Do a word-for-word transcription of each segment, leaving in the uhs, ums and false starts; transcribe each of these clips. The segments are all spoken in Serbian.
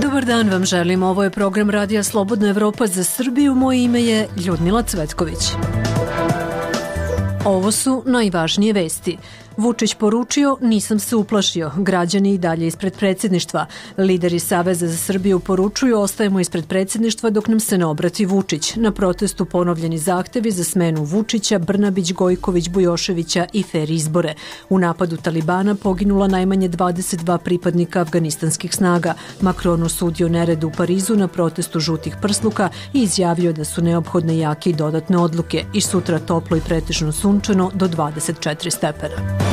Dobar dan vam želim, ovo je program Radija Slobodna Evropa za Srbiju, moje ime je Ljudmila Cvetković. Ovo su najvažnije vesti. Vučić poručio, nisam se uplašio, građani i dalje ispred predsjedništva. Lideri Saveza za Srbiju poručuju, ostajemo ispred predsjedništva dok nam se ne obrati Vučić. Na protestu ponovljeni zahtevi za smenu Vučića, Brnabić, Gojković, Bujoševića i fer izbore. U napadu Talibana poginula najmanje dvadeset dva pripadnika afganistanskih snaga. Macron osudio nered u Parizu na protestu žutih prsluka i izjavio da su neophodne jake i dodatne odluke i sutra toplo i pretežno sunčano do dvadeset četiri stepena.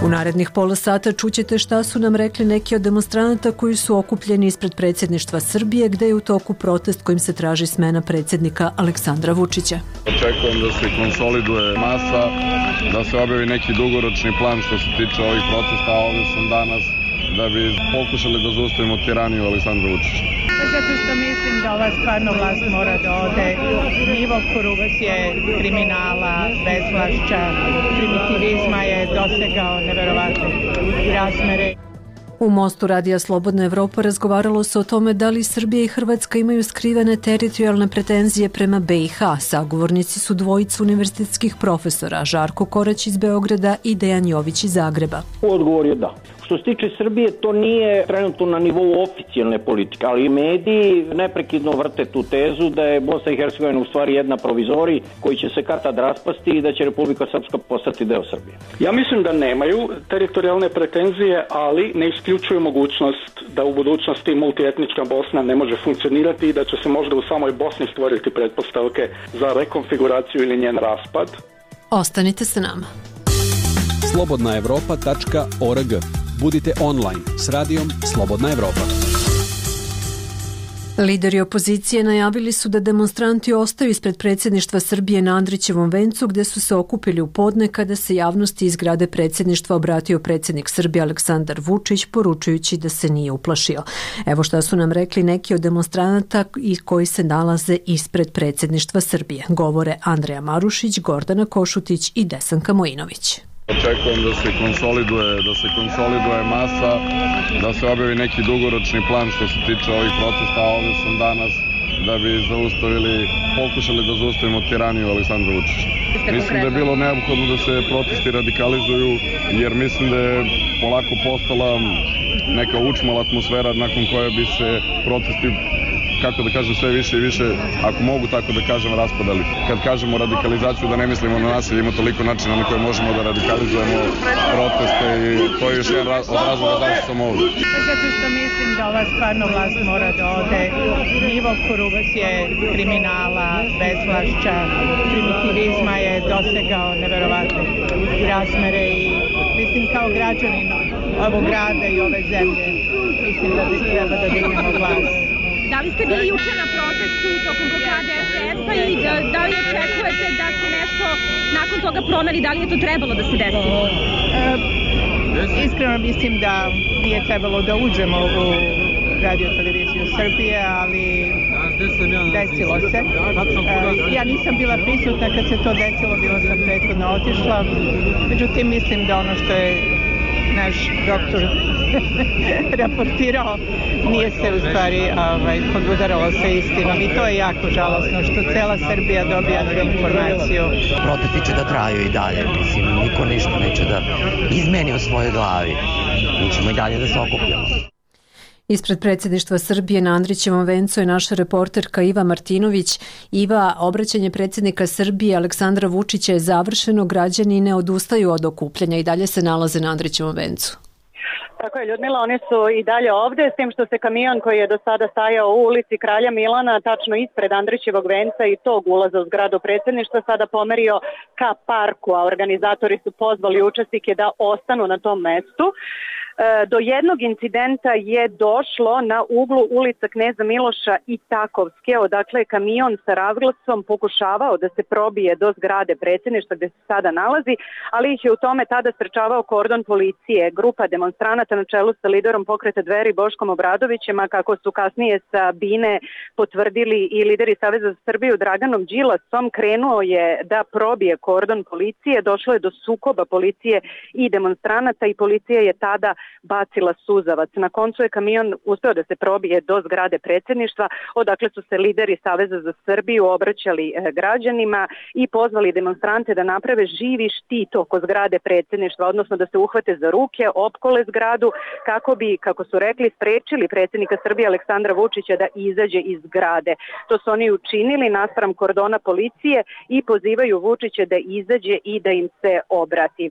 U narednih pola sata čućete šta su nam rekli neki od demonstranata koji su okupljeni ispred predsjedništva Srbije, gde je u toku protest kojim se traži smena predsjednika Aleksandra Vučića. Očekujem da se konsoliduje masa, da se objavi neki dugoročni plan što se tiče ovih protesta, a ovdje sam danas da bi pokušali da zaustavimo tiraniju Aleksandra Vučića. Zato što mislim da ova stvarno vlast mora da ode. Nivo korupcije, kriminala, bezvlašća, primitivizma je dosegao neverovatne razmere. U Mostu Radija Slobodna Evropa razgovaralo se o tome da li Srbija i Hrvatska imaju skrivene teritorijalne pretenzije prema be i ha. Sagovornici su dvojica univerzitetskih profesora, Žarko Korać iz Beograda i Dejan Jović iz Zagreba. Odgovor je da. Što se tiče Srbije, to nije trenutno na nivou oficijalne politike, ali mediji neprekidno vrte tu tezu da je Bosna i Hercegovina u stvari jedna provizorij koji će se kad-tad raspasti i da će Republika Srpska postati deo Srbije. Ja mislim da nemaju teritorijalne pretenzije, ali ne isključuju mogućnost da u budućnosti multietnička Bosna ne može funkcionirati i da će se možda u samoj Bosni stvoriti pretpostavke za rekonfiguraciju ili njen raspad. Ostanite sa nama. slobodna evropa tačka org. Budite online s radijom Slobodna Evropa. Lideri opozicije najavili su da demonstranti ostaju ispred predsjedništva Srbije na Andrićevom vencu, gde su se okupili u podne kada se javnosti iz zgrade predsjedništva obratio predsjednik Srbije Aleksandar Vučić, poručujući da se nije uplašio. Evo šta su nam rekli neki od demonstranata i koji se nalaze ispred predsjedništva Srbije. Govore Andreja Marušić, Gordana Košutić i Desanka Mojinović. Očekujem da se konsoliduje, da se konsoliduje masa, da se objavi neki dugoročni plan što se tiče ovih protesta, a ovdje sam danas da bi zaustavili, pokušali da zaustavimo tiraniju Aleksandra Vučića. Mislim da je bilo neophodno da se protesti radikalizuju, jer mislim da je polako postala neka učmala atmosfera nakon koje bi se protesti, kako da kažem, sve više i više, ako mogu tako da kažem, raspadali. Kad kažemo radikalizaciju, da ne mislimo na nasilje, ima toliko načina na koje možemo da radikalizujemo proteste i to je još jedan raz, od razloga zašto sam ovdje. Zato što mislim da ova stvarno vlast mora da ode. Nivo korupcije, kriminala, bezvlašća, primitivizma je dosegao neverovatne razmere i mislim kao građanin ovog grada i ove zemlje, mislim da bi treba da dignemo glas. Da li ste bili juče na protestu tokom blokade es te es-a i da li očekujete da se nešto nakon toga promeni, da li je to trebalo da se desi? E, iskreno mislim da nije trebalo da uđemo u Radio televiziju Srbije, ali desilo se. E, ja nisam bila prisutna kad se to desilo, bila sam prethodno otišla. Međutim, mislim da ono što je naš doktor raportirao nije se u stvari ovaj, podudaralo sa istinom i to je jako žalosno što cela Srbija dobija tu informaciju. Protesti će da traju i dalje, mislim, niko ništa neće da izmeni u svojoj glavi. Mi ćemo i dalje da se okupljamo. Ispred predsjedništva Srbije na Andrićevom vencu je naša reporterka Iva Martinović. Iva, obraćanje predsjednika Srbije Aleksandra Vučića je završeno, građani ne odustaju od okupljanja i dalje se nalaze na Andrićevom vencu. Tako je, Ljudmila, oni su i dalje ovde, s tim što se kamion koji je do sada stajao u ulici Kralja Milana, tačno ispred Andrićevog venca i tog ulaza u zgradu predsjedništva, sada pomerio ka parku, a organizatori su pozvali učesnike da ostanu na tom mestu. Do jednog incidenta je došlo na uglu ulica Kneza Miloša i Takovske, odakle je kamion sa razglasom pokušavao da se probije do zgrade predsjedništva gde se sada nalazi, ali ih je u tome tada sprečavao kordon policije. Grupa demonstranata na čelu sa liderom Pokreta Dveri Boškom Obradovićem, a kako su kasnije sa Bine potvrdili i lideri Saveza za Srbiju Draganom Đilasom, krenuo je da probije kordon policije, došlo je do sukoba policije i demonstranata i policija je tada bacila suzavac. Na koncu je kamion uspeo da se probije do zgrade predsjedništva, odakle su se lideri Saveza za Srbiju obraćali građanima i pozvali demonstrante da naprave živi štit oko zgrade predsjedništva, odnosno da se uhvate za ruke, opkole zgradu kako bi, kako su rekli, sprečili predsjednika Srbije Aleksandra Vučića da izađe iz zgrade. To su oni učinili naspram kordona policije i pozivaju Vučića da izađe i da im se obrati.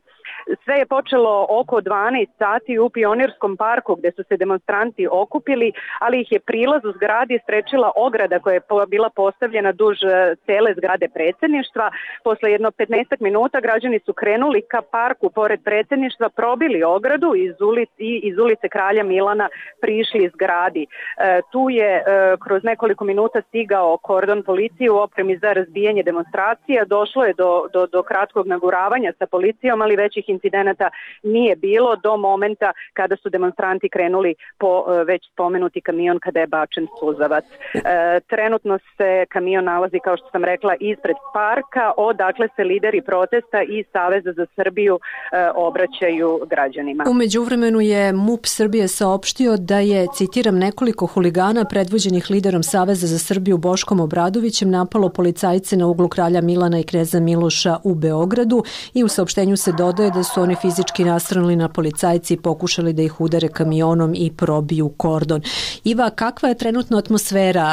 Sve je počelo oko dvanaest sati u Pionirskom parku gde su se demonstranti okupili, ali ih je prilaz u zgradi sprečila ograda koja je bila postavljena duž cele zgrade predsjedništva. Posle jedno petnaest minuta građani su krenuli ka parku pored predsjedništva, probili ogradu iz ulice, i iz ulice Kralja Milana prišli zgradi. E, tu je e, kroz nekoliko minuta stigao kordon policije u opremi za razbijanje demonstracija. Došlo je do, do, do kratkog naguravanja sa policijom, ali većih incidenata nije bilo do momenta kada su demonstranti krenuli po e, već spomenuti kamion kada je bačen suzavac. E, trenutno se kamion nalazi, kao što sam rekla, ispred parka, odakle se lideri protesta i Saveza za Srbiju e, obraćaju građanima. U međuvremenu je MUP Srbije saopštio da je, citiram, nekoliko huligana predvođenih liderom Saveza za Srbiju Boškom Obradovićem napalo policajce na uglu Kralja Milana i Kneza Miloša u Beogradu i u saopštenju se dodaje da su oni fizički nasrnuli na policajci i pokušali da ih udare kamionom i probiju kordon. Iva, kakva je trenutno atmosfera?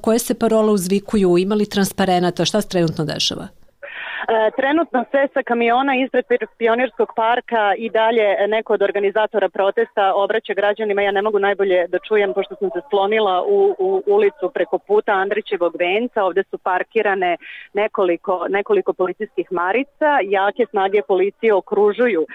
Koje se parole uzvikuju? Ima li transparenata? Šta se trenutno dešava? Trenutno se sa kamiona ispred Pionirskog parka i dalje neko od organizatora protesta obraća građanima. Ja ne mogu najbolje da čujem pošto sam se sklonila u, u ulicu preko puta Andrićevog venca. Ovde su parkirane nekoliko, nekoliko policijskih marica. Jake snage policije okružuju e,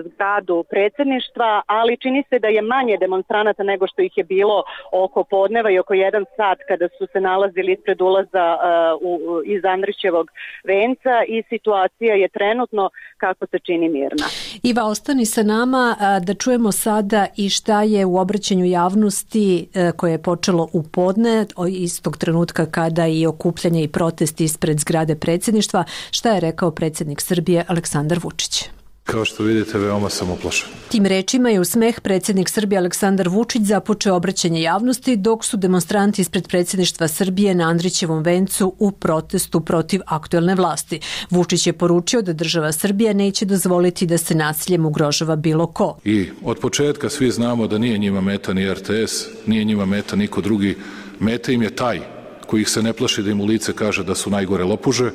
zgradu predsjedništva, ali čini se da je manje demonstranata nego što ih je bilo oko podneva i oko jedan sat kada su se nalazili ispred ulaza e, u, iz Andrićevog venca. I situacija je trenutno, kako se čini, mirna. Iva, ostani sa nama da čujemo sada i šta je u obraćanju javnosti koje je počelo u podne, istog trenutka kada i okupljanje i protesti ispred zgrade predsjedništva, šta je rekao predsjednik Srbije Aleksandar Vučić. Kao što vidite, veoma sam uplašen. Tim rečima je u smeh predsjednik Srbije Aleksandar Vučić započeo obraćanje javnosti dok su demonstranti ispred predsjedništva Srbije na Andrićevom vencu u protestu protiv aktuelne vlasti. Vučić je poručio da država Srbija neće dozvoliti da se nasiljem ugrožava bilo ko. I od početka svi znamo da nije njima meta ni R T S, nije njima meta niko drugi. Meta im je taj koji ih se ne plaši da im u lice kaže da su najgore lopuže.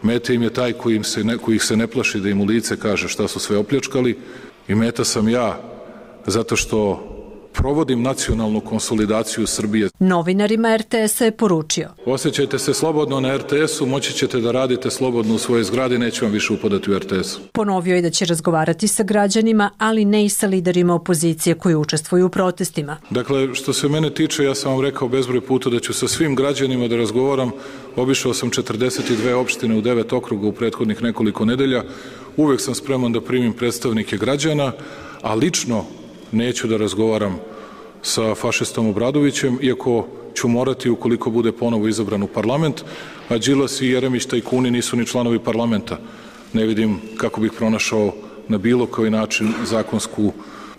Meta im je taj koji, im se ne, koji ih se ne plaši da im u lice kaže šta su sve opljačkali i meta sam ja zato što provodim nacionalnu konsolidaciju Srbije. Novinarima R T S-a je poručio: osjećajte se slobodno na R T S-u, moći ćete da radite slobodno u svojoj zgradi, neće vam više upadati u R T S-u. Ponovio je da će razgovarati sa građanima, ali ne i sa liderima opozicije koji učestvuju u protestima. Dakle, što se mene tiče, ja sam vam rekao bezbroj puta da ću sa svim građanima da razgovaram. Obišao sam četrdeset dve opštine u devet okruga u prethodnih nekoliko nedelja. Uvek sam spreman da primim predstavnike građana, a lično neću da razgovaram sa fašistom Obradovićem, iako ću morati ukoliko bude ponovo izabran u parlament, a Đilas i Jeremić tajkuni nisu ni članovi parlamenta. Ne vidim kako bih pronašao na bilo koji način zakonsku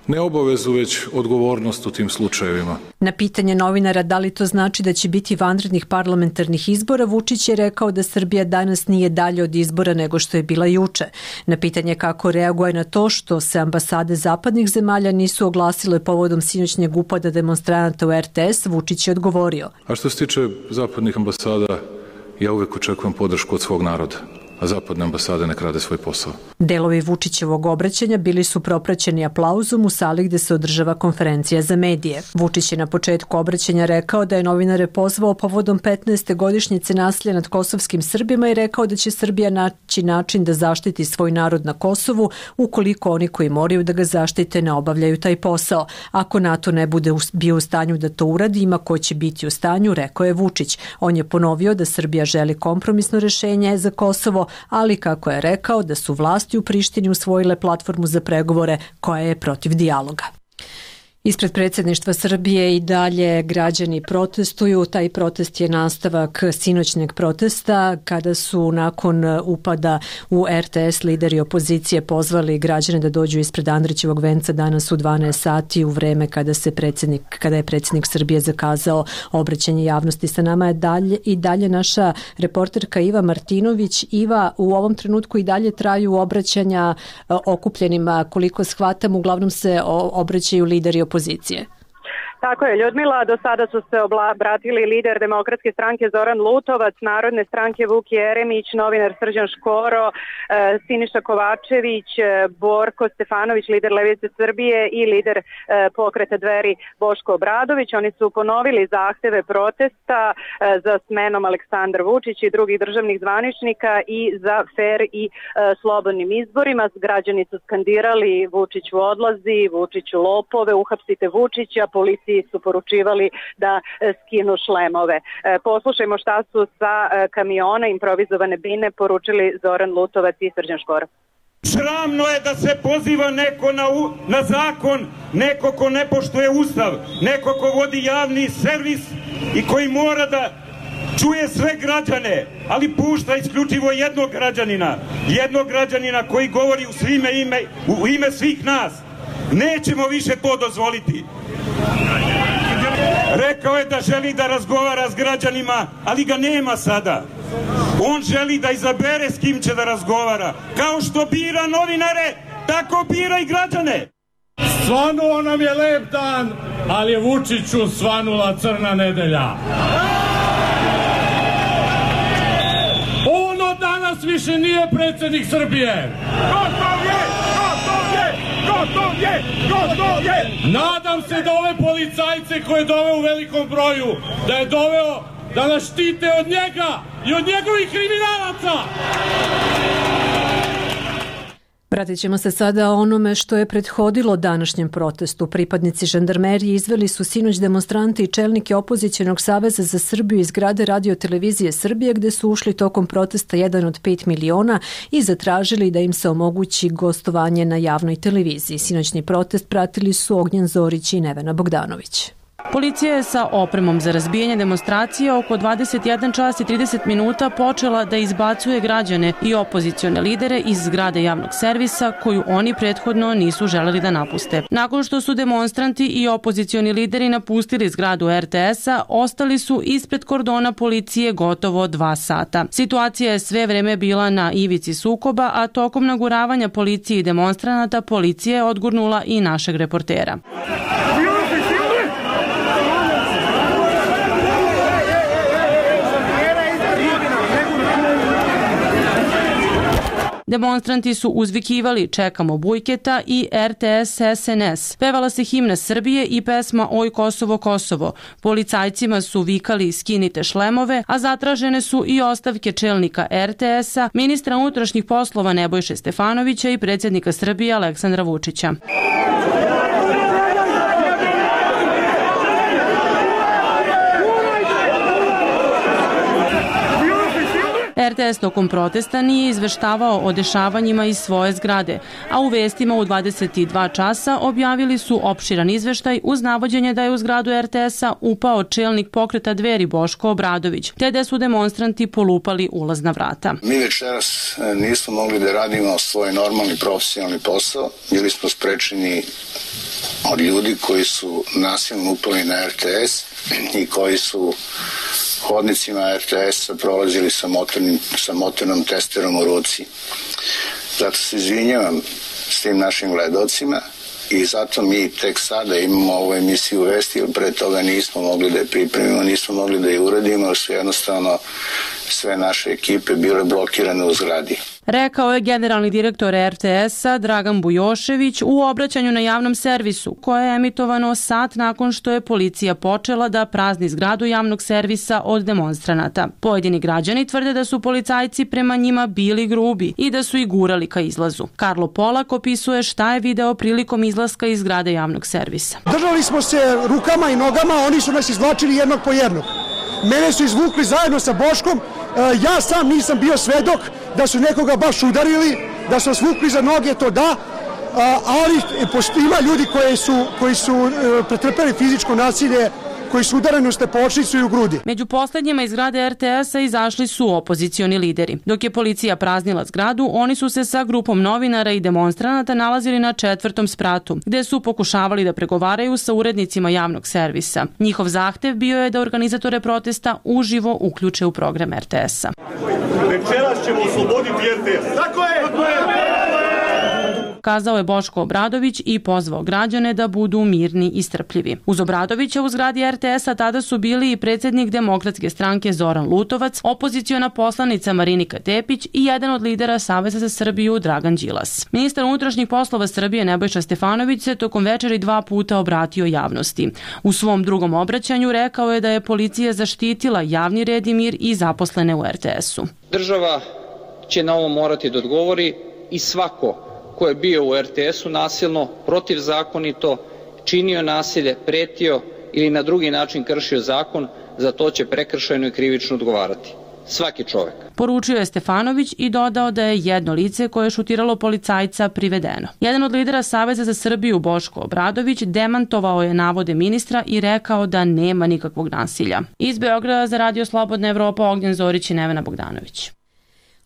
ne obavezu, već odgovornost u tim slučajevima. Na pitanje novinara da li to znači da će biti vanrednih parlamentarnih izbora, Vučić je rekao da Srbija danas nije dalje od izbora nego što je bila juče. Na pitanje kako reaguje na to što se ambasade zapadnih zemalja nisu oglasile povodom sinoćnjeg upada demonstranata u R T S, Vučić je odgovorio: a što se tiče zapadnih ambasada, ja uvek očekujem podršku od svog naroda. a zapadne ambasade nek rade svoj posao. Delovi Vučićevog obraćanja bili su propraćeni aplauzom u sali gde se održava konferencija za medije. Vučić je na početku obraćanja rekao da je novinare pozvao povodom petnaeste godišnjice nasilja nad kosovskim Srbima i rekao da će Srbija naći način da zaštiti svoj narod na Kosovu ukoliko oni koji moraju da ga zaštite ne obavljaju taj posao. Ako NATO ne bude bio u stanju da to uradi, ima ko će biti u stanju, rekao je Vučić. On je ponovio da Srbija želi kompromisno rešenje za Kosovo, ali kako je rekao da su vlasti u Prištini usvojile platformu za pregovore koja je protiv dijaloga. Ispred predsjedništva Srbije i dalje građani protestuju. Taj protest je nastavak sinoćnjeg protesta kada su nakon upada u R T S lideri opozicije pozvali građane da dođu ispred Andrićevog venca danas u dvanaest sati u vreme kada se predsjednik, kada je predsjednik Srbije zakazao obraćanje javnosti. Sa nama je dalje i dalje naša reporterka Iva Martinović. Iva, u ovom trenutku i dalje traju obraćanja okupljenima, koliko shvatam, uglavnom se obraćaju lideri opozicije. Pozicije. Tako je, Ljudmila, do sada su se obratili lider Demokratske stranke Zoran Lutovac, Narodne stranke Vuk Jeremić, novinar Srđan Škoro, Siniša Kovačević, Borko Stefanović, lider Levice Srbije i lider pokreta Dveri Boško Obradović. Oni su ponovili zahteve protesta za smenom Aleksandar Vučić i drugih državnih zvaničnika i za fer i slobodnim izborima. Građani su skandirali Vučiću odlazi, Vučiću lopove, uhapsite Vučića, policiji su poručivali da skinu šlemove. Poslušajmo šta su sa kamiona improvizovane bine poručili Zoran Lutovac i Srđan Škoro. Sramno je da se poziva neko na, u, na zakon, neko ko ne poštuje ustav, neko ko vodi javni servis i koji mora da čuje sve građane, ali pušta isključivo jednog građanina, jednog građanina koji govori u, svime ime, u ime svih nas. Nećemo više to dozvoliti. Rekao je da želi da razgovara s građanima, ali ga nema sada. On želi da izabere s kim će da razgovara. Kao što bira novinare, tako bira i građane. Svanuo nam je lep dan, ali je Vučiću svanula crna nedelja. On od danas više nije predsjednik Srbije. Gotov je! Gotov je! Gotov je! Gotov je! Nadam se da ove policajce koje je doveo u velikom broju, da je doveo da nas štite od njega i od njegovih kriminalaca. Vratit ćemo se sada o onome što je prethodilo današnjem protestu. Pripadnici žandarmerije izveli su sinoć demonstrante i čelnike opozicionog saveza za Srbiju iz zgrade Radio televizije Srbije gde su ušli tokom protesta jedan od pet miliona i zatražili da im se omogući gostovanje na javnoj televiziji. Sinoćni protest pratili su Ognjen Zorić i Nevena Bogdanović. Policija je sa opremom za razbijanje demonstracije oko dvadeset jedan čas i trideset minuta počela da izbacuje građane i opozicione lidere iz zgrade javnog servisa koju oni prethodno nisu želeli da napuste. Nakon što su demonstranti i opozicioni lideri napustili zgradu R T S-a, ostali su ispred kordona policije gotovo dva sata. Situacija je sve vreme bila na ivici sukoba, a tokom naguravanja policije i demonstranata policija je odgurnula i našeg reportera. Demonstranti su uzvikivali "Čekamo Bujketa" i R T S S N S. Pevala se himna Srbije i pesma "Oj Kosovo, Kosovo". Policajcima su vikali "Skinite šlemove", a zatražene su i ostavke čelnika R T S-a, ministra unutrašnjih poslova Nebojše Stefanovića i predsjednika Srbije Aleksandra Vučića. R T S tokom protesta nije izveštavao o dešavanjima iz svoje zgrade, a u vestima u dvadeset dva časa objavili su opširan izveštaj uz navođenje da je u zgradu R T S-a upao čelnik pokreta Dveri Boško Obradović, te da su demonstranti polupali ulazna vrata. Mi večeras nismo mogli da radimo svoj normalni profesionalni posao, bili smo sprečeni od ljudi koji su nasilno upali na R T S i koji su hodnicima R T S-a prolazili sa, motornim, sa motornom testerom u ruci. Zato se izvinjavam s tim našim gledocima i zato mi tek sada imamo ovu emisiju Vesti, jer pre toga nismo mogli da je pripremimo, nismo mogli da je uradimo, jer su jednostavno sve naše ekipe bile blokirane u zgradi. Rekao je generalni direktor er te es-a Dragan Bujošević u obraćanju na javnom servisu, koje je emitovano sat nakon što je policija počela da prazni zgradu javnog servisa od demonstranata. Pojedini građani tvrde da su policajci prema njima bili grubi i da su ih gurali ka izlazu. Karlo Polak opisuje šta je video prilikom izlaska iz zgrade javnog servisa. Držali smo se rukama i nogama, oni su nas izvlačili jednog po jednog. Mene su izvukli zajedno sa Boškom, ja sam nisam bio svedok da su nekoga baš udarili, da su svukli za noge, to da, ali ima ljudi koji su, koji su pretrpeli fizičko nasilje, koji su udareni u stepočnicu i u grudi. Među poslednjima iz zgrade er te es-a izašli su opozicioni lideri. Dok je policija praznila zgradu, oni su se sa grupom novinara i demonstranata nalazili na četvrtom spratu, gde su pokušavali da pregovaraju sa urednicima javnog servisa. Njihov zahtev bio je da organizatore protesta uživo uključe u program er te es-a. Večeras ćemo osloboditi er te es. Tako je! Tako je! Kazao je Boško Obradović i pozvao građane da budu mirni i strpljivi. Uz Obradovića u zgradi er te es-a tada su bili i predsjednik Demokratske stranke Zoran Lutovac, opoziciona poslanica Marinika Tepić i jedan od lidera Saveza za Srbiju Dragan Đilas. Ministar unutrašnjih poslova Srbije Nebojša Stefanović se tokom večeri dva puta obratio javnosti. U svom drugom obraćanju rekao je da je policija zaštitila javni red i mir i zaposlene u er te es-u. Država će na ovo morati da odgovori i svako ko je bio u er te es-u nasilno, protivzakonito, činio nasilje, pretio ili na drugi način kršio zakon, za to će prekršajno i krivično odgovarati. Svaki čovek. Poručio je Stefanović i dodao da je jedno lice koje je šutiralo policajca privedeno. Jedan od lidera Saveza za Srbiju, Boško Obradović, demantovao je navode ministra i rekao da nema nikakvog nasilja. Iz Beograda za Radio Slobodna Evropa, Ognjen Zorić i Nevena Bogdanović.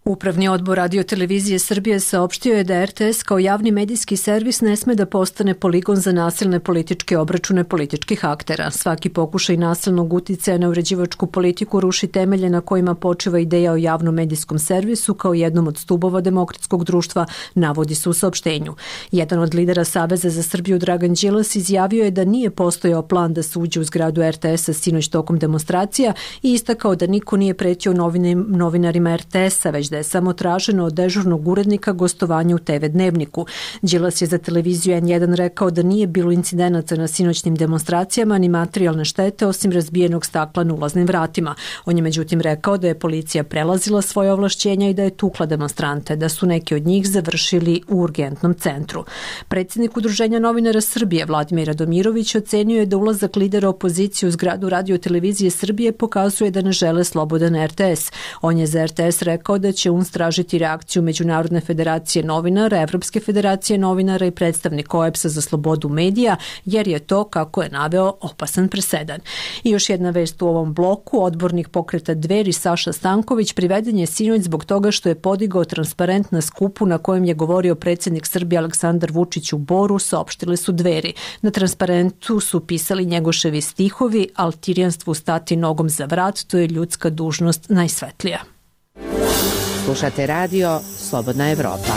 Upravni odbor Radio-televizije Srbije saopštio je da er te es kao javni medijski servis ne sme da postane poligon za nasilne političke obračune političkih aktera. Svaki pokušaj nasilnog uticaja na uređivačku politiku ruši temelje na kojima počiva ideja o javnom medijskom servisu kao jednom od stubova demokratskog društva, navodi se u saopštenju. Jedan od lidera Saveza za Srbiju, Dragan Đilas, izjavio je da nije postojao plan da se uđe u zgradu er te es-a sinoć tokom demonstracija i istakao da niko nije pretio novinarima er te es-a, već da je samo traženo od dežurnog urednika gostovanje u te ve Dnevniku. Đilas je za televiziju en jedan rekao da nije bilo incidenata na sinoćnim demonstracijama ni materijalne štete osim razbijenog stakla na ulaznim vratima. On je međutim rekao da je policija prelazila svoje ovlašćenja i da je tukla demonstrante, da su neki od njih završili u urgentnom centru. Predsjednik Udruženja novinara Srbije Vladimir Radomirović ocenio je da ulazak lidera opozicije u zgradu Radio-televizije Srbije pokazuje da ne žele slobodan er te es. On je za er te es rekao da će tražiti reakciju Međunarodne federacije novinara, Evropske federacije novinara i predstavnik o e pe es-a za slobodu medija, jer je to, kako je naveo, opasan presedan. I još jedna vest u ovom bloku, odbornik pokreta Dveri Saša Stanković priveden je sinoć zbog toga što je podigao transparent na skupu na kojem je govorio predsjednik Srbije Aleksandar Vučić u Boru, saopštile su Dveri. Na transparentu su pisali njegoševi stihovi: "Al tirijanstvu stati nogom za vrat, to je ljudska dužnost najsvetlija." Slušate radio Slobodna Evropa.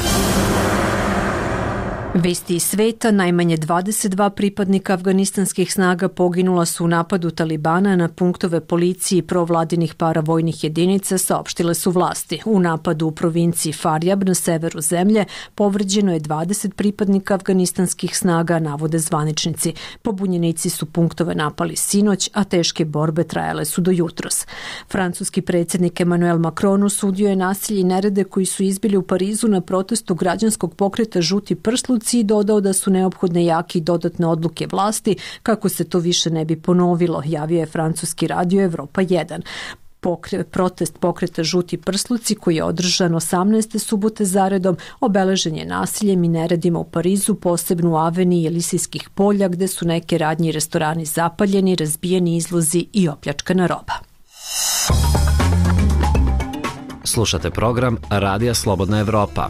Vesti iz sveta, najmanje dvadeset dva pripadnika afganistanskih snaga poginula su u napadu Talibana na punktove policije i provladinih paravojnih jedinica, saopštile su vlasti. U napadu u provinciji Faryab na severu zemlje povređeno je dvadeset pripadnika afganistanskih snaga, navode zvaničnici. Pobunjenici su punktove napali sinoć, a teške borbe trajale su do jutros. Francuski predsjednik Emmanuel Macron osudio je nasilje i nerede koji su izbili u Parizu na protestu građanskog pokreta Žuti prsluci i dodao da su neophodne jake i dodatne odluke vlasti kako se to više ne bi ponovilo, javio je francuski radio Evropa jedan. Pokre, protest pokreta Žuti prsluci koji je održan osamnaeste subote zaredom obeležen je nasiljem i neredima u Parizu, posebno u aveniji Elisijskih polja gde su neke radnje i restorani zapaljeni, razbijeni izlozi i opljačkana roba. Slušate program Radija Slobodna Evropa.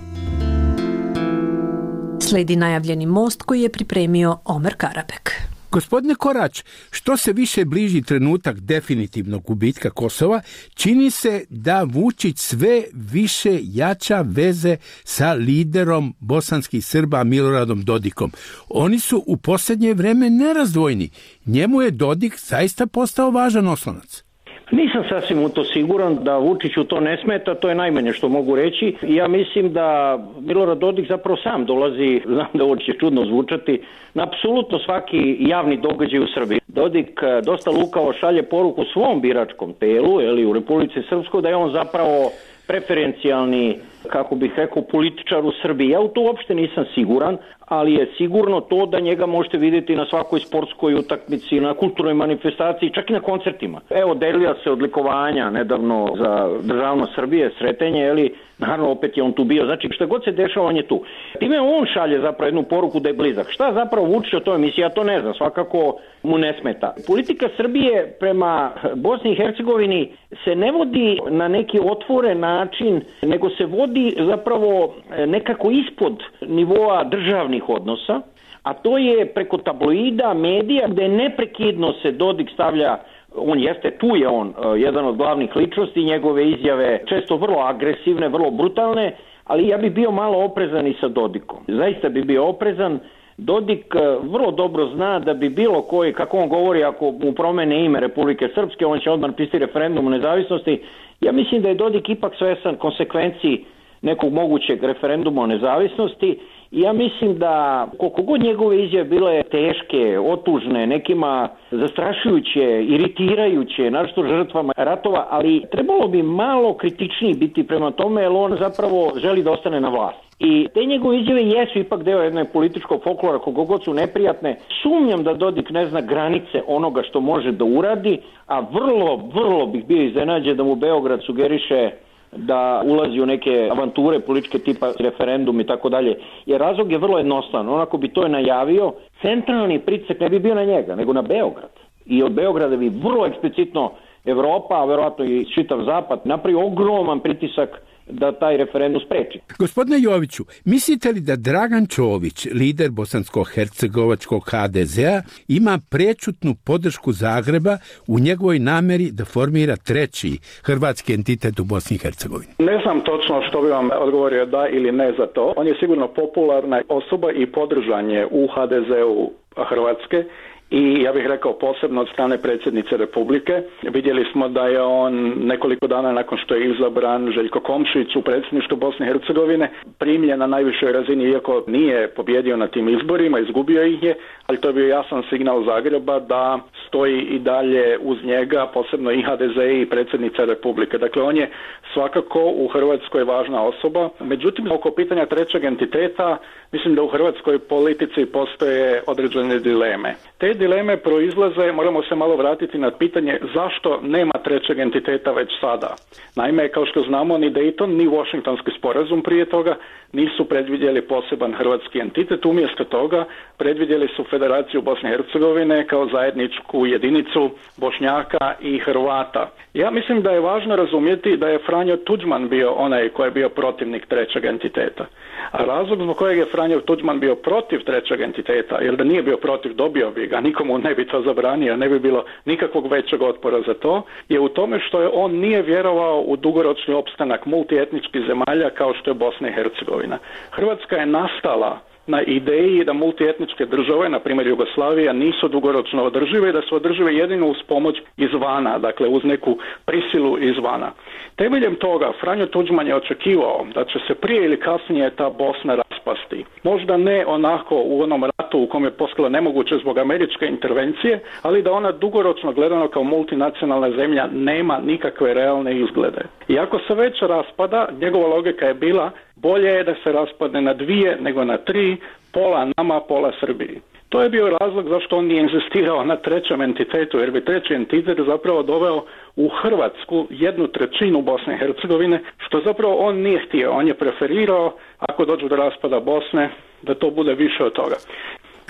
Sledi najavljeni most koji je pripremio Omer Karabek. Gospodine Korać, što se više bliži trenutak definitivnog gubitka Kosova, čini se da Vučić sve više jača veze sa liderom bosanskih Srba Miloradom Dodikom. Oni su u posljednje vreme nerazdvojni. Njemu je Dodik zaista postao važan oslonac. Nisam sasvim u to siguran da Vučiću to ne smeta, to je najmanje što mogu reći. Ja mislim da Milorad Dodik zapravo sam dolazi, znam da ovo će čudno zvučati, na apsolutno svaki javni događaj u Srbiji. Dodik dosta lukavo šalje poruku svom biračkom telu, ili u Republici Srpskoj, da je on zapravo preferencijalni, kako bih rekao, političar u Srbiji. Ja u to uopšte nisam siguran, ali je sigurno to da njega možete vidjeti na svakoj sportskoj utakmici, na kulturnoj manifestaciji, čak i na koncertima. Evo, delila se odlikovanja nedavno za državnost Srbije, Sretenje, eli, naravno opet je on tu bio. Znači, šta god se dešava, on je tu. Time on šalje zapravo jednu poruku da je blizak. Šta zapravo Vučić o toj emisiji, ja to ne znam, svakako mu ne smeta. Politika Srbije prema Bosni i Hercegovini se ne vodi na neki otvoren način, nego se vodi zapravo nekako ispod nivoa državnih odnosa, a to je preko tabloida, medija, gde neprekidno se Dodik stavlja, on jeste, tu je on jedan od glavnih ličnosti, njegove izjave često vrlo agresivne, vrlo brutalne, ali ja bi bio malo oprezan i sa Dodikom. Zaista bi bio oprezan. Dodik vrlo dobro zna da bi bilo koji, kako on govori, ako mu promene ime Republike Srpske, on će odmah pisati referendum o nezavisnosti. Ja mislim da je Dodik ipak svesan konsekvenciji nekog mogućeg referenduma o nezavisnosti. I ja mislim da koliko god njegove izjave bile teške, otužne, nekima zastrašujuće, iritirajuće, naročito žrtvama ratova, ali trebalo bi malo kritičniji biti prema tome, jer on zapravo želi da ostane na vlasti. I te njegove izjave jesu ipak deo jednog političkog folklora, koliko god su neprijatne. Sumnjam da Dodik ne zna granice onoga što može da uradi, a vrlo, vrlo bih bio iznenađen da mu Beograd sugeriše da ulazi u neke avanture političke tipa referendum i tako dalje. Jer razlog je vrlo jednostavan. Onako bi to je najavio, centralni pritisak ne bi bio na njega, nego na Beograd. I od Beograda bi vrlo eksplicitno Evropa, a verovatno i čitav Zapad, napravi ogroman pritisak da taj referendum spreči. Gospodine Joviću, mislite li da Dragan Čović, lider bosansko-hercegovačkog ha de zea, ima prečutnu podršku Zagreba u njegovoj nameri da formira treći hrvatski entitet u Bosni i Hercegovini? Ne znam točno što bi vam odgovorio da ili ne za to. On je sigurno popularna osoba i podržan je u ha de zeu Hrvatske. I ja bih rekao posebno od strane predsjednice Republike. Vidjeli smo da je on nekoliko dana nakon što je izabran Željko Komšić u predsjedništvu Bosne i Hercegovine primljen na najvišoj razini, iako nije pobjedio na tim izborima, izgubio ih je, ali to je bio jasan signal Zagreba da stoji i dalje uz njega, posebno i ha de ze i predsjednica Republike. Dakle, on je svakako u Hrvatskoj važna osoba. Međutim, oko pitanja trećeg entiteta, mislim da u hrvatskoj politici postoje određene dileme. Te dileme proizlaze, moramo se malo vratiti na pitanje zašto nema trećeg entiteta već sada. Naime, kao što znamo, ni Dayton, ni Washingtonski sporazum prije toga nisu predvidjeli poseban hrvatski entitet, umjesto toga predvidjeli su Federaciju Bosne i Hercegovine kao zajedničku jedinicu Bošnjaka i Hrvata. Ja mislim da je važno razumjeti da je Franjo Tuđman bio onaj koji je bio protivnik trećeg entiteta. A razlog zbog kojeg je Franjo Tuđman bio protiv trećeg entiteta, jer da nije bio protiv, dobio bi ga, nikomu ne bi to zabranio, ne bi bilo nikakvog većeg otpora za to, je u tome što je on nije vjerovao u dugoročni opstanak multietničkih zemalja kao što je Bosna i Hercegovina. Hrvatska je nastala na ideji da multietničke države, na primjer Jugoslavija, nisu dugoročno održive i da su održive jedino uz pomoć izvana, dakle uz neku prisilu izvana. Temeljem toga Franjo Tuđman je očekivao da će se prije ili kasnije ta Bosna raspasti. Možda ne onako u onom ratu u kom je postalo nemoguće zbog američke intervencije, ali da ona dugoročno gledano kao multinacionalna zemlja nema nikakve realne izglede. I ako se već raspada, njegova logika je bila bolje je da se raspadne na dvije nego na tri, pola nama, pola Srbiji. To je bio razlog zašto on nije inzistirao na trećem entitetu, jer bi treći entitet zapravo doveo u Hrvatsku jednu trećinu Bosne i Hercegovine, što zapravo on nije htio. On je preferirao, ako dođu do raspada Bosne, da to bude više od toga.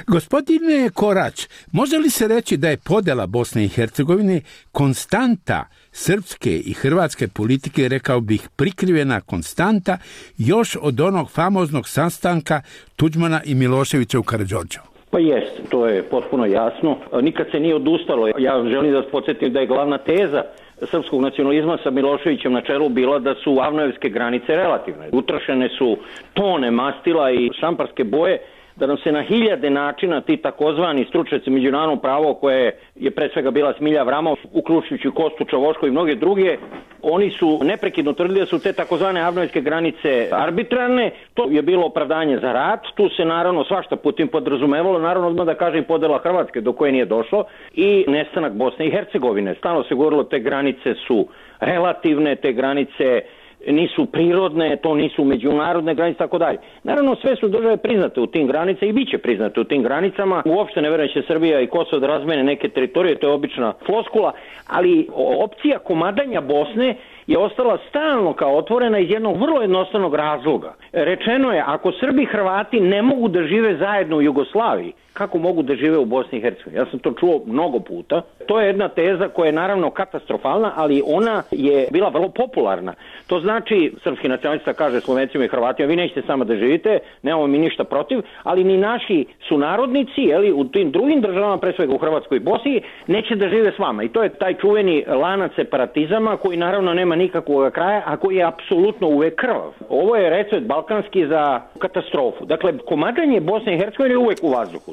Gospodine Korać, može li se reći da je podjela Bosne i Hercegovine konstanta srpske i hrvatske politike, rekao bih prikrivena konstanta, još od onog famoznog sastanka Tuđmana i Miloševića u Karađorđevu? Pa jest, to je potpuno jasno. Nikad se nije odustalo. Ja želim da vas podsjetim da je glavna teza srpskog nacionalizma sa Miloševićem na čelu bila da su avnojevske granice relativne. Utrošene su tone mastila i šamparske boje da nam se na hiljade načina ti takozvani stručnjaci međunarodnog prava, koje je pre svega bila Smilja Avramov, uključujući Kostu Čavoško i mnoge druge, oni su neprekidno tvrdili da su te takozvane avnojevske granice arbitrarne. To je bilo opravdanje za rat. Tu se naravno svašta putim podrazumevalo, naravno odmah da kažem podela Hrvatske do koje nije došlo i nestanak Bosne i Hercegovine. Stalno se govorilo te granice su relativne, te granice nisu prirodne, to nisu međunarodne granice, tako dalje. Naravno, sve su države priznate u tim granicama i bit će priznate u tim granicama. Uopšte ne verujem će Srbija i Kosovo da razmene neke teritorije, to je obična floskula, ali opcija komadanja Bosne je ostala stalno kao otvorena iz jednog vrlo jednostavnog razloga. Rečeno je, ako Srbi i Hrvati ne mogu da žive zajedno u Jugoslaviji, kako mogu da žive u Bosni i Hercegovini? Ja sam to čuo mnogo puta. To je jedna teza koja je naravno katastrofalna, ali ona je bila vrlo popularna. To znači, srpski nacionalista kaže Slovencima i Hrvatima, vi nećete samo da živite, nemamo mi ništa protiv, ali ni naši sunarodnici, jeli, u tim drugim državama, pre svega u Hrvatskoj i Bosni, neće da žive s vama. I to je taj čuveni lanac separatizama koji naravno nema nikakvog kraja, a koji je apsolutno uvek krvav. Ovo je recept balkanski za katastrofu. Dakle, komadanje Bosne i Hercegovine je uvek u vazduhu.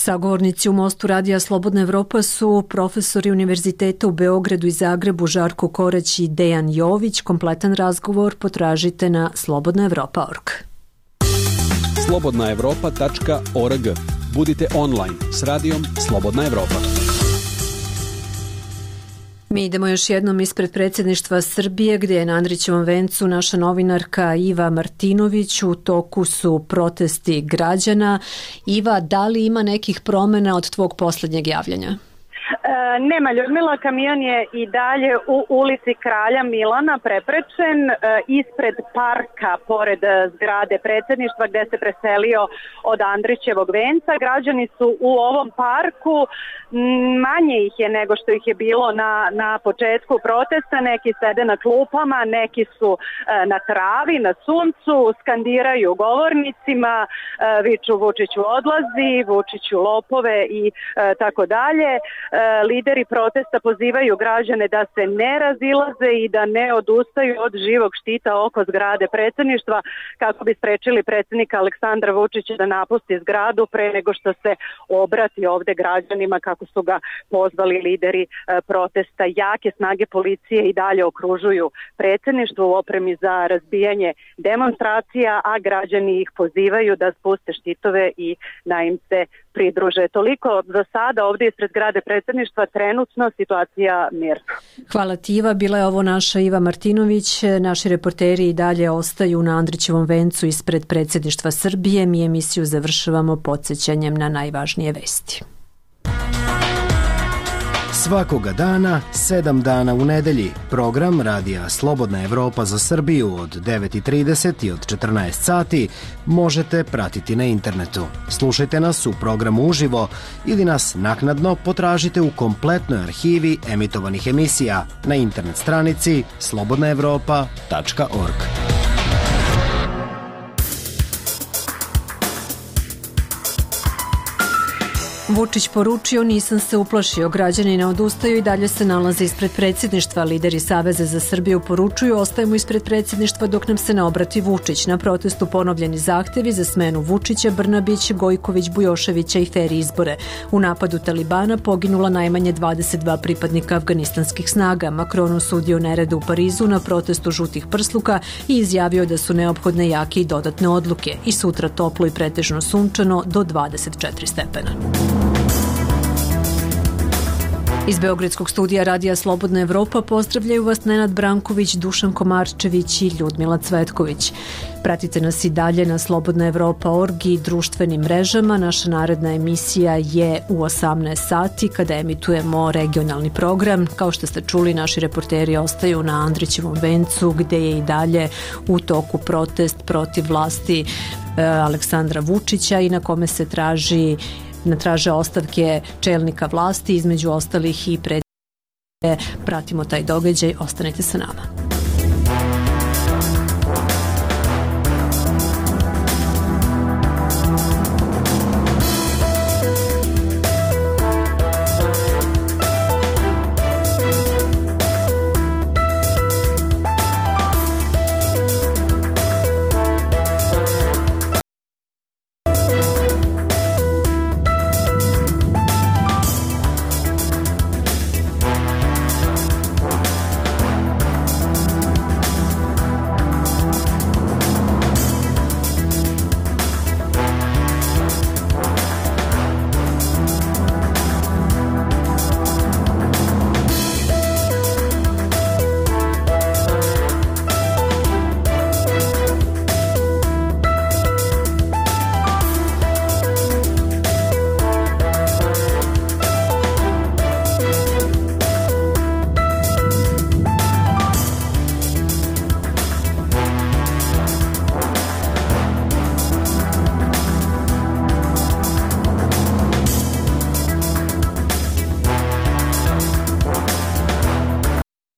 Sagovornici u Mostu Radija Slobodna Evropa su profesori univerziteta u Beogradu i Zagrebu Žarko Korać i Dejan Jović. Kompletan razgovor potražite na slobodna evropa tačka org. slobodna evropa tačka org. Budite online s radijom Slobodna Evropa. Mi idemo još jednom ispred predsjedništva Srbije, gdje je na Andrićevom vencu naša novinarka Iva Martinović. U toku su protesti građana. Iva, da li ima nekih promjena od tvog posljednjeg javljanja? E, nema, Ljudmila, kamion je i dalje u ulici Kralja Milana preprečen e, ispred parka pored zgrade predsjedništva gdje se preselio od Andrićevog venca. Građani su u ovom parku, manje ih je nego što ih je bilo na, na početku protesta, neki sede na klupama, neki su e, na travi, na suncu, skandiraju govornicima, e, viču Vučiću odlazi, Vučiću lopove i e, tako dalje. Lideri protesta pozivaju građane da se ne razilaze i da ne odustaju od živog štita oko zgrade predsjedništva kako bi sprečili predsjednika Aleksandra Vučića da napusti zgradu pre nego što se obrati ovde građanima, kako su ga pozvali lideri protesta. Jake snage policije i dalje okružuju predsjedništvo u opremi za razbijanje demonstracija, a građani ih pozivaju da spuste štitove i da im se pridruže. Toliko za sada ovdje ispred zgrade predsjedništva, trenutno situacija mirna. Hvala ti, Iva. Bila je ovo naša Iva Martinović. Naši reporteri i dalje ostaju na Andrićevom vencu ispred predsjedništva Srbije. Mi emisiju završavamo podsjećanjem na najvažnije vesti. Svakoga dana, sedam dana u nedelji, program Radija Slobodna Evropa za Srbiju od devet i trideset i od četrnaest sati možete pratiti na internetu. Slušajte nas u programu uživo ili nas naknadno potražite u kompletnoj arhivi emitovanih emisija na internet stranici slobodna evropa tačka org. Vučić poručio, nisam se uplašio, građani ne odustaju i dalje se nalaze ispred predsjedništva. Lideri Saveza za Srbiju poručuju, ostajemo ispred predsjedništva dok nam se ne obrati Vučić. Na protestu ponovljeni zahtjevi za smenu Vučića, Brnabić, Gojković, Bujoševića i fer izbore. U napadu Talibana poginula najmanje dvadeset dva pripadnika afganistanskih snaga. Macron osudio nerede u Parizu na protestu žutih prsluka i izjavio da su neophodne jake i dodatne odluke. I sutra toplo i pretežno sunčano do dvadeset četiri stepena. Iz Beogradskog studija Radija Slobodna Evropa pozdravljaju vas Nenad Branković, Dušan Komarčević i Ljudmila Cvetković. Pratite nas i dalje na slobodna evropa tačka org i društvenim mrežama. Naša naredna emisija je u osamnaest sati kada emitujemo regionalni program. Kao što ste čuli, naši reporteri ostaju na Andrićevom vencu gdje je i dalje u toku protest protiv vlasti e, Aleksandra Vučića i na kome se traži traže ostavke čelnika vlasti, između ostalih i pred. Pratimo taj događaj, ostanite sa nama.